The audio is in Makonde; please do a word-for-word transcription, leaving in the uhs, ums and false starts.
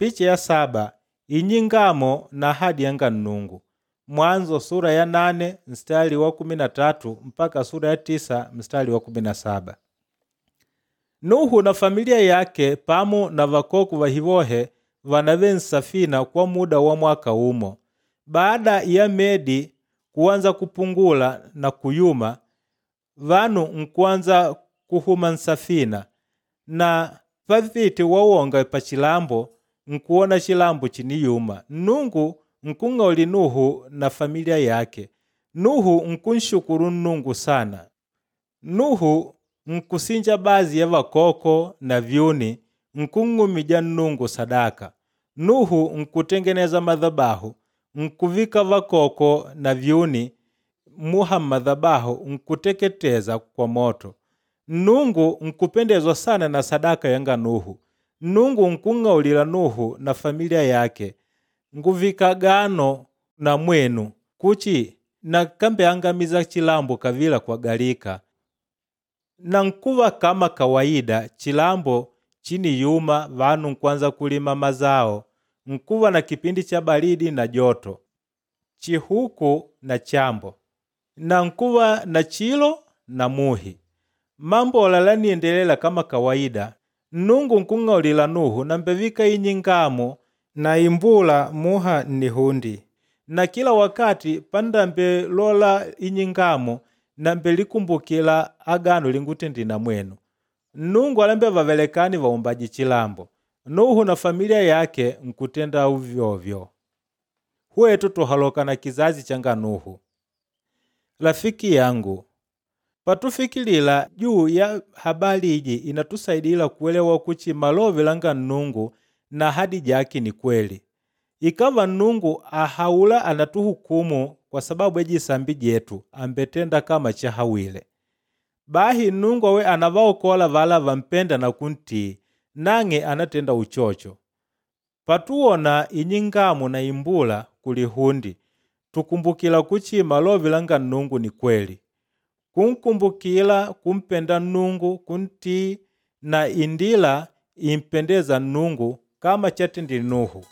Picha ya saba inyingamo na ahadi yanga Nnungu. Mwanzo sura ya nane mstari wa kumi na tatu mpaka sura ya tisa mstari wa kumi na saba. Nuhu na familia yake pamu na vakoko vahivohe vanave nsafina kwa muda wa mwaka umo. Baada ya medi kuanza kupungula na kuyuma, vanu nkuanza kuhuma nsafina na pavite wawonga pa chilambo nkuona chilambo chiniyuma. Nnungu nkung'auli Nuhu na familia yake. Nuhu nkunshukuru Nnungu sana. Nuhu nkusinja baadhi ya vakoko na vyuni nkung'umija Nnungu sadaka. Nuhu nkutengeneza madhabahu, nkuvika vakoko na vyuni muha madhabahu nkuteketeza kwa moto. Nnungu nkupendezwa sana na sadaka yanga Nuhu. Nnungu nkung'aulila Nuhu na familia yake, nguvika agano na mwenu kuchi nakambeangamiza chilambo kavila kwa galika. Na nkuva kama kawaida chilambo chiniyuma vanu nkwanza kulima mazao, nkuva na kipindi cha baridi na joto, chihuku na chambo, na nkuva na chilo na muhi. Mambo ala laniendelela kama kawaida. Nnungu nkung'aulila Nuhu nambevika inyingamo na imbula muha nnihundi. Na kila wakati pandambelola inyingamo nambelikumbukila agano lingutendile na mwenu. Nnungu alambe vavelekani vaumbaji chilambo. Nuhu na familia yake nkutenda uvyovyo. Hwetu tuhaloka na kizazi changa Nuhu. Rafiki yangu, patufikilila juu ya habari iji inatusaidila kuelewa kuchi malove langa Nnungu na ahadi jake ni kweli. Ikava Nnungu ahaula anatuhukumu kwa sababu ya jisambi jetu ambetenda kama chahawile. Bahi Nnungu awe anavaokola vala vampenda na kuntii, nang'e anatenda uchocho. Patuwona inyingamo na imbula kulihundi, tukumbukila kuchi malove langa Nnungu ni kweli. Kunkumbukila kumpenda Nnungu, kuntii na indila impendeza Nnungu kama chatendile Nuhu.